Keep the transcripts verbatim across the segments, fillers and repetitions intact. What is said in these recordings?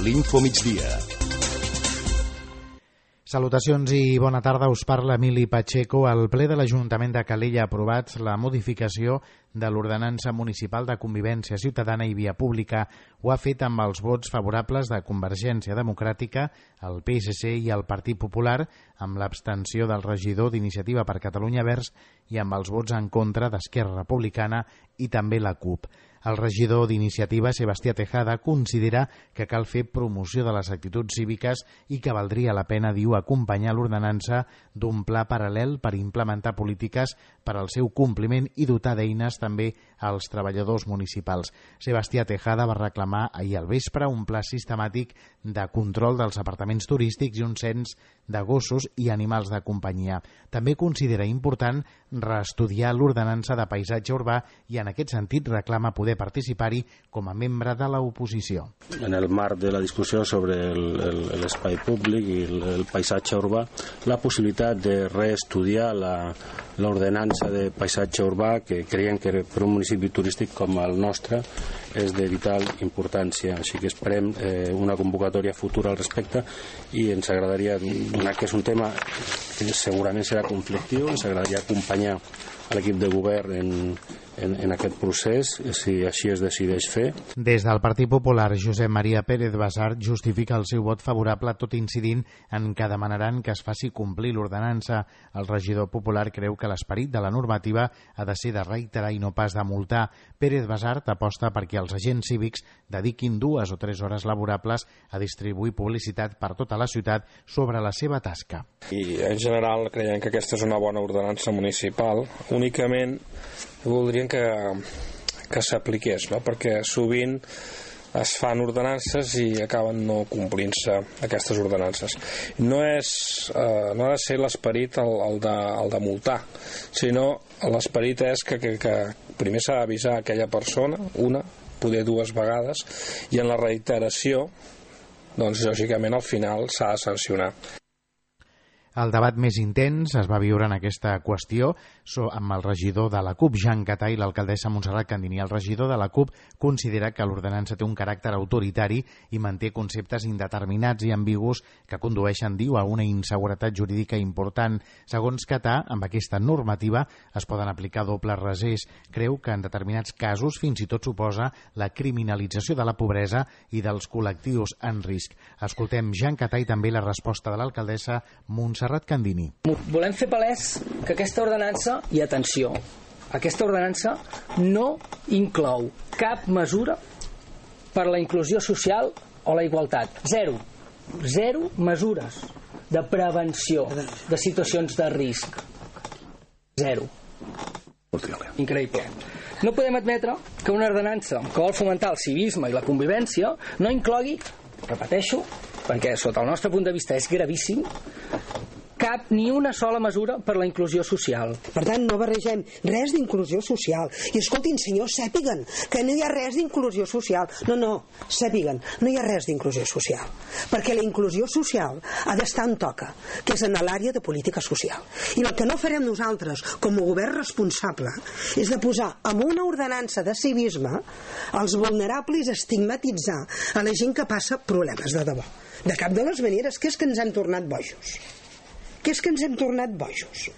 l'Info Migdia. Salutacions i bona tarda, us parla Emili Pacheco. El ple de l'Ajuntament de Calella ha aprovat la modificació de l'ordenança municipal de convivència ciutadana i via pública. Ho ha fet amb els vots favorables de Convergència Democràtica, el P S C i el Partit Popular, amb l'abstenció del regidor d'Iniciativa per Catalunya Verds i amb els vots en contra d'Esquerra Republicana i també la CUP. El regidor d'Iniciativa, Sebastià Tejada, considera que cal fer promoció de les actituds cíviques i que valdria la pena, diu, acompanyar l'ordenança d'un pla paral·lel per implementar polítiques per al seu compliment i dotar d'eines també als treballadors municipals. Sebastià Tejada va reclamar ahir al vespre un pla sistemàtic de control dels apartaments turístics i un cens de gossos i animals de companyia. També considera important reestudiar l'ordenança de paisatge urbà i en aquest sentit reclama poder participar-hi com a membre de l'oposició. En el marc de la discussió sobre l'espai públic i el, el paisatge urbà, la possibilitat de reestudiar l'ordenança de paisatge urbà, que creiem que per un municipi turístic com el nostre és de vital importància. Així que esperem eh, una convocatòria futura al respecte i ens agradaria, donat que és un tema que segurament serà conflictiu, ens agradaria acompanyar a l'equip de govern en, en, en aquest procés, si així es decideix fer. Des del Partit Popular, Josep Maria Pérez Basart justifica el seu vot favorable, tot incidint en que demanaran que es faci complir l'ordenança. El regidor popular creu que l'esperit de la normativa ha de ser de reiterar i no pas de multar. Pérez Basart aposta perquè els agents cívics dediquin dues o tres hores laborables a distribuir publicitat per tota la ciutat sobre la seva tasca. I en general creiem que aquesta és una bona ordenança municipal. Únicament voldríem que, que s'apliqués, no? Perquè sovint es fan ordenances i acaben no complint-se aquestes ordenances. No, és, eh, no ha de ser l'esperit el, el, de, el de multar, sinó l'esperit és que, que, que primer s'ha d'avisar aquella persona, una, poder dues vegades, i en la reiteració, doncs lògicament al final s'ha de sancionar. El debat més intens es va viure en aquesta qüestió amb el regidor de la CUP, Jean Catà, i l'alcaldessa Montserrat Candini. El regidor de la CUP considera que l'ordenança té un caràcter autoritari i manté conceptes indeterminats i ambigus que condueixen, diu, a una inseguretat jurídica important. Segons Catà, amb aquesta normativa es poden aplicar dobles rasers. Creu que en determinats casos fins i tot suposa la criminalització de la pobresa i dels col·lectius en risc. Escoltem Jean Catà i també la resposta de l'alcaldessa Montserrat Candini. Volem fer palès que aquesta ordenança, i atenció, aquesta ordenança no inclou cap mesura per la inclusió social o la igualtat. Zero. Zero mesures de prevenció de situacions de risc. Zero. Increïble. No podem admetre que una ordenança que vol fomentar el civisme i la convivència no inclogui, repeteixo, perquè sota el nostre punt de vista és gravíssim, cap ni una sola mesura per la inclusió social. Per tant, no barregem res d'inclusió social. I escoltin, senyors, sàpiguen que no hi ha res d'inclusió social. No, no, sàpiguen, no hi ha res d'inclusió social. Perquè la inclusió social ha d'estar on toca, que és en l'àrea de política social. I el que no farem nosaltres, com a govern responsable, és de posar en una ordenança de civisme els vulnerables, estigmatitzar a la gent que passa problemes de debò. De cap de les maneres, que és que ens han tornat bojos. Que és que ens hem tornat bojos.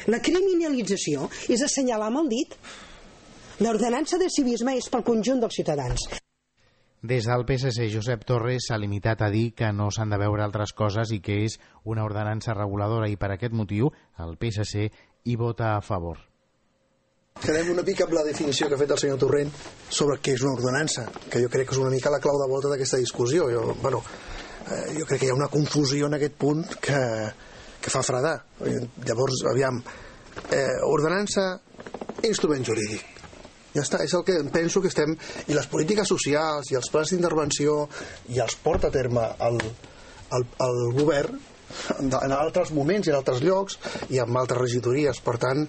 La criminalització és assenyalar amb el dit. L'ordenança de civisme és pel conjunt dels ciutadans. Des del P S C, Josep Torres s'ha limitat a dir que no s'han de veure altres coses i que és una ordenança reguladora i per aquest motiu el P S C hi vota a favor. Quedem una mica amb la definició que ha fet el senyor Torrent sobre què és una ordenança, que jo crec que és una mica la clau de volta d'aquesta discussió. Jo, bueno, eh, jo crec que hi ha una confusió en aquest punt que que fa fredar. Llavors, aviam, eh, ordenança, instrument jurídic. Ja està, és el que penso que estem... I les polítiques socials i els plans d'intervenció i els porta a terme el, el, el govern en altres moments i en altres llocs i amb altres regidories. Per tant,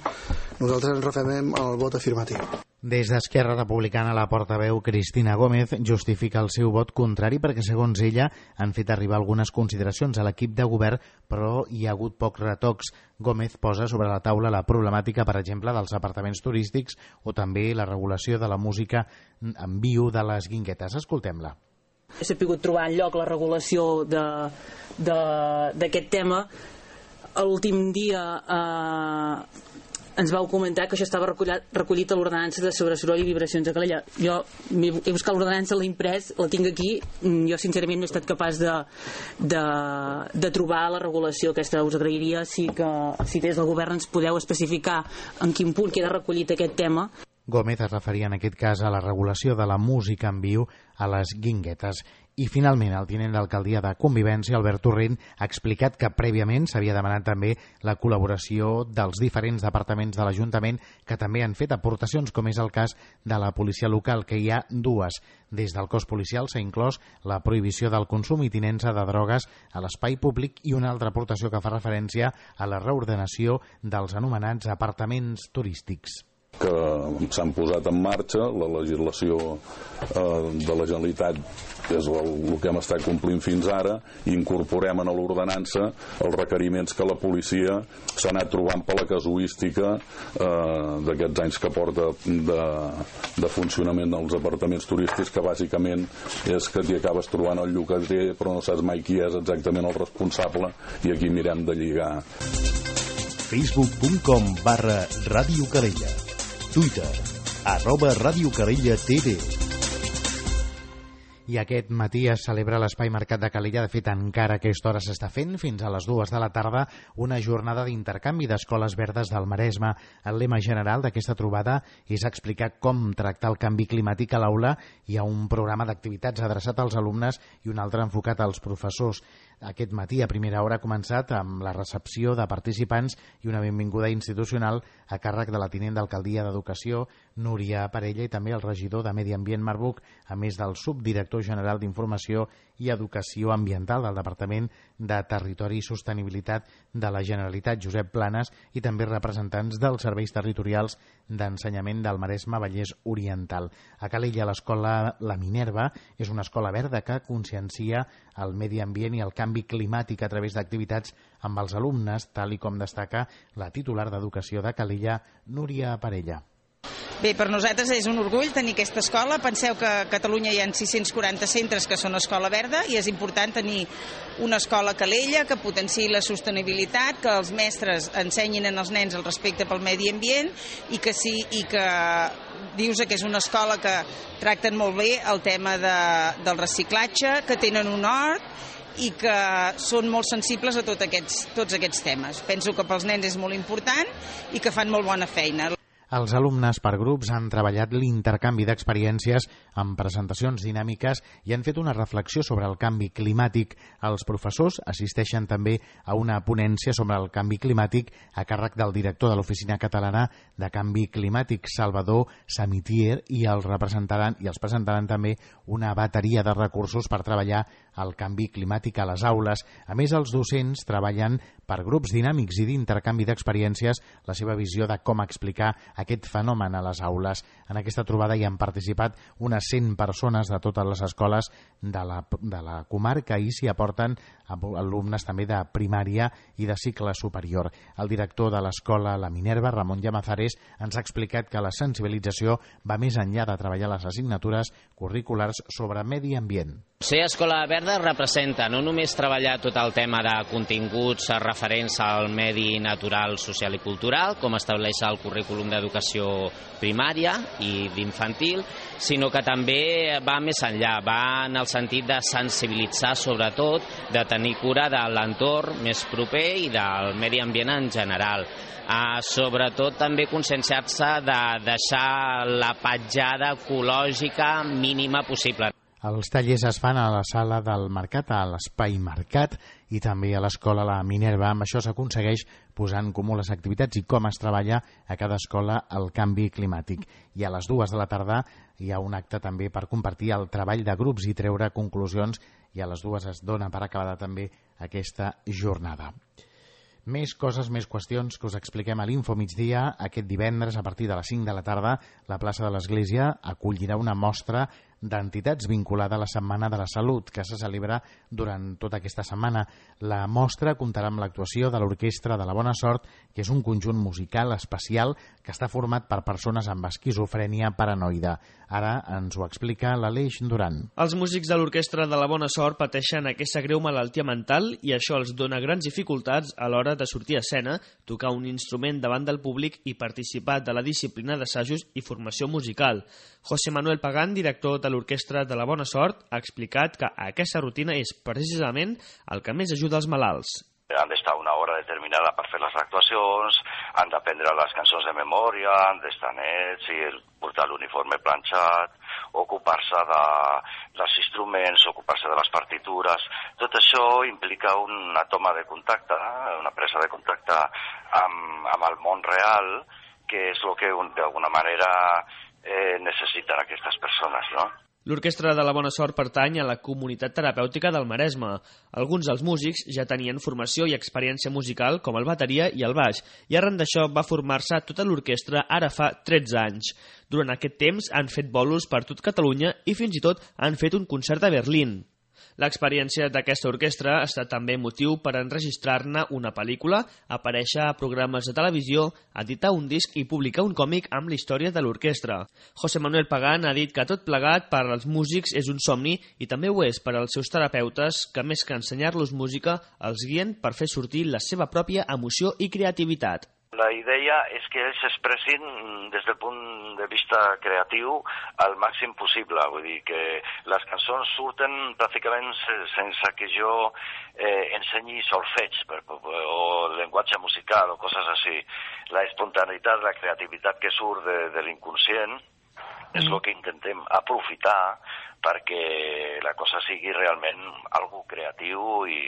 nosaltres ens refermem al vot afirmatiu. Des d'Esquerra Republicana, la portaveu Cristina Gómez justifica el seu vot contrari perquè, segons ella, han fet arribar algunes consideracions a l'equip de govern, però hi ha hagut pocs retocs. Gómez posa sobre la taula la problemàtica, per exemple, dels apartaments turístics o també la regulació de la música en viu de les guinguetes. Escoltem-la. S'ha pogut trobar en lloc la regulació d'aquest tema. L'últim dia eh, ens vau comentar que això estava recollit, recollit a l'ordenança de sobre soroll i vibracions a Calella. Jo he buscat l'ordenança, l'he imprès, la tinc aquí. Jo sincerament no he estat capaç de, de, de trobar la regulació aquesta. Us agrairia si, que, si des del govern ens podeu especificar en quin punt queda recollit aquest tema. Gómez es referia en aquest cas a la regulació de la música en viu a les guinguetes. I finalment el tinent d'alcaldia de Convivència, Albert Torrent, ha explicat que prèviament s'havia demanat també la col·laboració dels diferents departaments de l'Ajuntament que també han fet aportacions, com és el cas de la policia local, que hi ha dues. Des del cos policial s'ha inclòs la prohibició del consum i tinença de drogues a l'espai públic i una altra aportació que fa referència a la reordenació dels anomenats apartaments turístics. Que s'han posat en marxa, la legislació eh, de la Generalitat és el, el que hem estat complint fins ara, i incorporem en l'ordenança els requeriments que la policia s'ha anat trobant per la casuística eh, d'aquests anys que porta de, de funcionament dels apartaments turístics, que bàsicament és que t'hi acabes trobant el llogater però no saps mai qui és exactament el responsable, i aquí mirem de lligar. facebook punt com barra Ràdio Calella, Twitter, arroba Ràdio Calella T V. I aquest matí es celebra a l'Espai Mercat de Calella. De fet, encara a aquesta hora s'està fent, fins a les dues de la tarda, una jornada d'intercanvi d'escoles verdes del Maresme. El lema general d'aquesta trobada és explicar com tractar el canvi climàtic a l'aula. Hi ha un programa d'activitats adreçat als alumnes i un altre enfocat als professors. Aquest matí, a primera hora, ha començat amb la recepció de participants i una benvinguda institucional a càrrec de la tinent d'alcaldia d'Educació, Núria Parella, i també el regidor de Medi Ambient, Marc Buch, a més del subdirector general d'Informació i Educació Ambiental del Departament de Territori i Sostenibilitat de la Generalitat, Josep Planes, i també representants dels serveis territorials d'ensenyament del Maresme Vallès Oriental. A Calella, l'escola La Minerva és una escola verda que consciencia el medi ambient i el canvi climàtic a través d'activitats amb els alumnes, tal i com destaca la titular d'Educació de Calella, Núria Parella. Bé, per nosaltres és un orgull tenir aquesta escola. Penseu que a Catalunya hi ha sis-cents quaranta centres que són escola verda, i és important tenir una escola a Calella que potenciï la sostenibilitat, que els mestres ensenyin als nens el respecte pel medi ambient, i que sí, i que dius que és una escola que tracten molt bé el tema de, del reciclatge, que tenen un hort i que són molt sensibles a tot aquests, tots aquests temes. Penso que pels nens és molt important i que fan molt bona feina. Els alumnes per grups han treballat l'intercanvi d'experiències amb presentacions dinàmiques i han fet una reflexió sobre el canvi climàtic. Els professors assisteixen també a una ponència sobre el canvi climàtic a càrrec del director de l'Oficina Catalana de Canvi Climàtic, Salvador Samitier, i els representaran i els presentaran també una bateria de recursos per treballar el canvi climàtic a les aules. A més, els docents treballen per grups dinàmics i d'intercanvi d'experiències la seva visió de com explicar aquest fenomen a les aules. En aquesta trobada hi han participat unes cent persones de totes les escoles de la, de la comarca, i s'hi aporten alumnes també de primària i de cicle superior. El director de l'escola La Minerva, Ramon Llamazares, ens ha explicat que la sensibilització va més enllà de treballar les assignatures curriculars sobre medi ambient. Ser escola verda representa no només treballar tot el tema de continguts referents al medi natural, social i cultural, com estableix el currículum d'educació primària i d'infantil, sinó que també va més enllà, va en el sentit de sensibilitzar, sobretot, de tenir cura de l'entorn més proper i del medi ambient en general. Uh, sobretot també conscienciar-se de deixar la petjada ecològica mínima possible. Els tallers es fan a la sala del Mercat, a l'Espai Mercat, i també a l'escola La Minerva. Amb això s'aconsegueix posar en comú les activitats i com es treballa a cada escola el canvi climàtic. I a les dues de la tarda hi ha un acte també per compartir el treball de grups i treure conclusions, i a les dues es dona per acabada també aquesta jornada. Més coses, més qüestions que us expliquem a l'Info Migdia. Aquest divendres, a partir de les cinc de la tarda, la plaça de l'Església acollirà una mostra d'entitats vinculada a la Setmana de la Salut, que se celebra durant tota aquesta setmana. La mostra comptarà amb l'actuació de l'Orquestra de la Bona Sort, que és un conjunt musical especial que està format per persones amb esquizofrènia paranoide. Ara ens ho explica l'Aleix Duran. Els músics de l'Orquestra de la Bona Sort pateixen aquesta greu malaltia mental i això els dona grans dificultats a l'hora de sortir a escena, tocar un instrument davant del públic i participar de la disciplina d'assajos i formació musical. José Manuel Pagán, director de l'Orquestra de la Bona Sort, ha explicat que aquesta rutina és precisament el que més ajuda els malalts. Han d'estar una hora determinada per fer les actuacions, han d'aprendre les cançons de memòria, han d'estar nets i portar l'uniforme planxat, ocupar-se de, dels instruments, ocupar-se de les partitures. Tot això implica una toma de contacte, una presa de contacte amb, amb el món real, que és el que d'alguna manera eh, necessiten aquestes persones, no? L'Orquestra de la Bona Sort pertany a la comunitat terapèutica del Maresme. Alguns dels músics ja tenien formació i experiència musical, com el bateria i el baix, i arran d'això va formar-se tota l'orquestra ara fa tretze anys. Durant aquest temps han fet bolos per tot Catalunya i fins i tot han fet un concert a Berlín. L'experiència d'aquesta orquestra ha estat també motiu per enregistrar-ne una pel·lícula, aparèixer a programes de televisió, editar un disc i publicar un còmic amb la història de l'orquestra. José Manuel Pagán ha dit que tot plegat per als músics és un somni i també ho és per als seus terapeutes que més que ensenyar-los música els guien per fer sortir la seva pròpia emoció i creativitat. La idea és que ells s'expressin des del punt de vista creatiu al màxim possible. Vull dir que les cançons surten pràcticament sense que jo eh, ensenyi solfeig per, o llenguatge musical o coses així. La espontaneïtat, la creativitat que surt de, de l'inconscient és el que intentem aprofitar perquè la cosa sigui realment algo creatiu i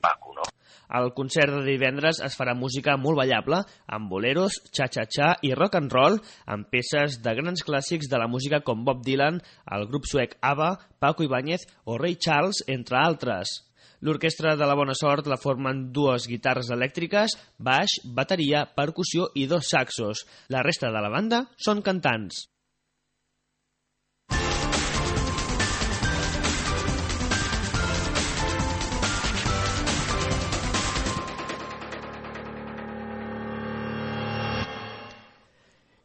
maco, no? Al concert de divendres es farà música molt ballable, amb boleros, cha-cha-cha i rock and roll, amb peces de grans clàssics de la música com Bob Dylan, el grup suec ABBA, Paco Ibáñez o Ray Charles, entre altres. L'Orquestra de la Bona Sort la formen dues guitarres elèctriques, baix, bateria, percussió i dos saxos. La resta de la banda són cantants.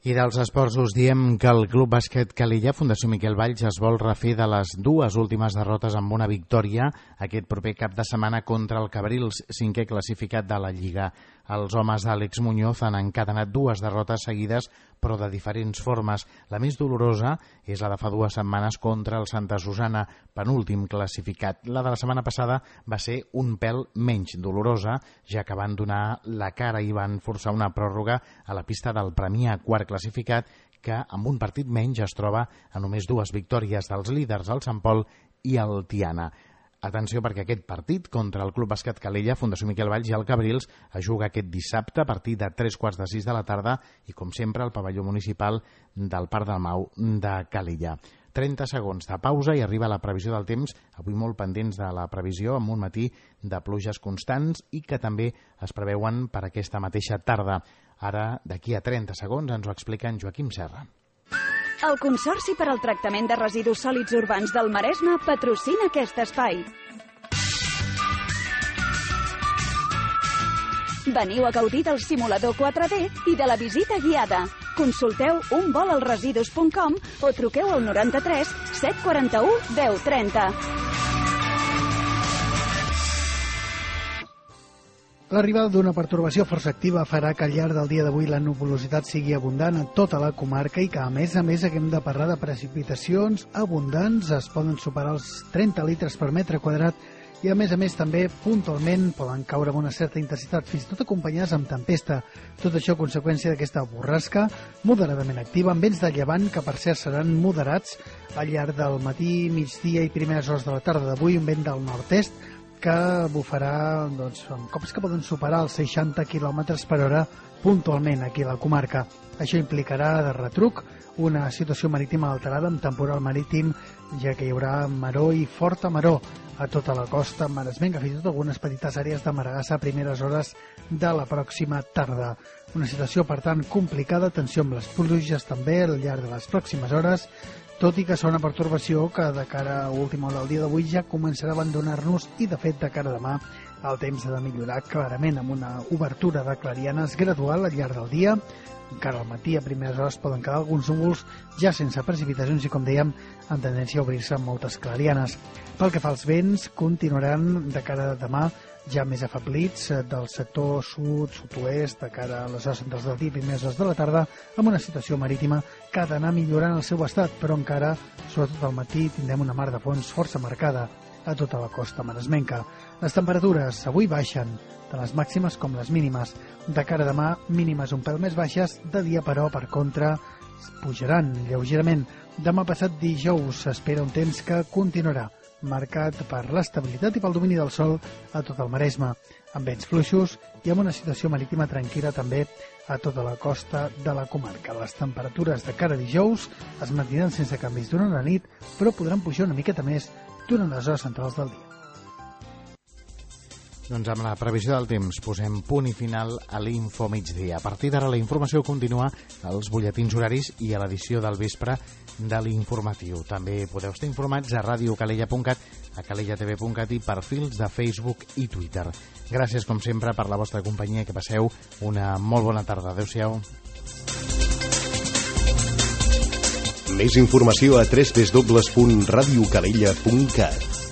I dels esports us diem que el Club Bàsquet Calella, Fundació Miquel Valls, es vol refer de les dues últimes derrotes amb una victòria aquest proper cap de setmana contra el Cabrils, cinquè classificat de la Lliga. Els homes d'Àlex Muñoz han encadenat dues derrotes seguides, però de diferents formes. La més dolorosa és la de fa dues setmanes contra el Santa Susana, penúltim classificat. La de la setmana passada va ser un pèl menys dolorosa, ja que van donar la cara i van forçar una pròrroga a la pista del Premià, quart classificat, que amb un partit menys es troba a només dues victòries dels líders, el Sant Pol i el Tiana. Atenció, perquè aquest partit contra el Club Bàsquet Calella, Fundació Miquel Valls i el Cabrils es juga aquest dissabte a partir de tres quarts de sis de la tarda i, com sempre, al pavelló municipal del Parc del Mau de Calella. trenta segons de pausa i arriba la previsió del temps, avui molt pendents de la previsió, amb un matí de pluges constants i que també es preveuen per aquesta mateixa tarda. Ara, d'aquí a trenta segons, ens ho explica en Joaquim Serra. El Consorci per al Tractament de Residus Sòlids Urbans del Maresme patrocina aquest espai. Veniu a gaudir del simulador quatre D i de la visita guiada. Consulteu un vol al residus punt com o truqueu al noranta-tres set quaranta-u deu trenta. L'arribada d'una pertorbació força activa farà que al llarg del dia d'avui la nuvolositat sigui abundant a tota la comarca i que, a més a més, haguem de parlar de precipitacions abundants. Es poden superar els trenta litres per metre quadrat i, a més a més, també puntualment poden caure amb una certa intensitat, fins i tot acompanyades amb tempesta. Tot això a conseqüència d'aquesta borrasca moderadament activa, amb vents de llevant que, per cert, seran moderats al llarg del matí, migdia i primeres hores de la tarda d'avui, un vent del nord-est que bufarà doncs, amb cops que poden superar els seixanta quilòmetres per hora puntualment aquí a la comarca. Això implicarà de retruc una situació marítima alterada amb temporal marítim, ja que hi haurà maror i forta maror a tota la costa maresmenca, fins i tot algunes petites àrees de Maragassa a primeres hores de la pròxima tarda. Una situació, per tant, complicada. Atenció amb les pluges també al llarg de les pròximes hores, tot i que serà una pertorbació que de cara a última hora del dia d'avui ja començarà a abandonar-nos i, de fet, de cara a demà el temps ha de millorar clarament amb una obertura de clarianes gradual al llarg del dia. Encara al matí a primeres hores poden quedar alguns núvols ja sense precipitacions i, com dèiem, en tendència a obrir-se moltes clarianes. Pel que fa als vents, continuaran de cara a demà ja més afeblits del sector sud, sud-oest, de cara a les hores centrals del dia i primeres hores de la tarda, amb una situació marítima que ha d'anar millorant el seu estat, però encara, sobretot al matí, tindrem una mar de fons força marcada a tota la costa maresmenca. Les temperatures avui baixen, tant les màximes com les mínimes. De cara a demà, mínimes un pèl més baixes, de dia, però, per contra, pujaran lleugerament. Demà passat dijous s'espera un temps que continuarà marcat per l'estabilitat i pel domini del sol a tot el Maresme, amb vents fluixos i amb una situació marítima tranquil·la també a tota la costa de la comarca. Les temperatures de cara a dijous es mantindran sense canvis durant la nit, però podran pujar una miqueta més durant les hores centrals del dia. Doncs amb la previsió del temps posem punt i final a l'Info Migdia. A partir d'ara la informació continua als butlletins horaris i a l'edició del vespre de l'Informatiu. També podeu estar informats a radio calella punt cat, a calella t v punt cat i perfils de Facebook i Twitter. Gràcies, com sempre, per la vostra companyia. Que passeu una molt bona tarda. Adéu-siau. Més informació a w w w punt radio calella punt cat.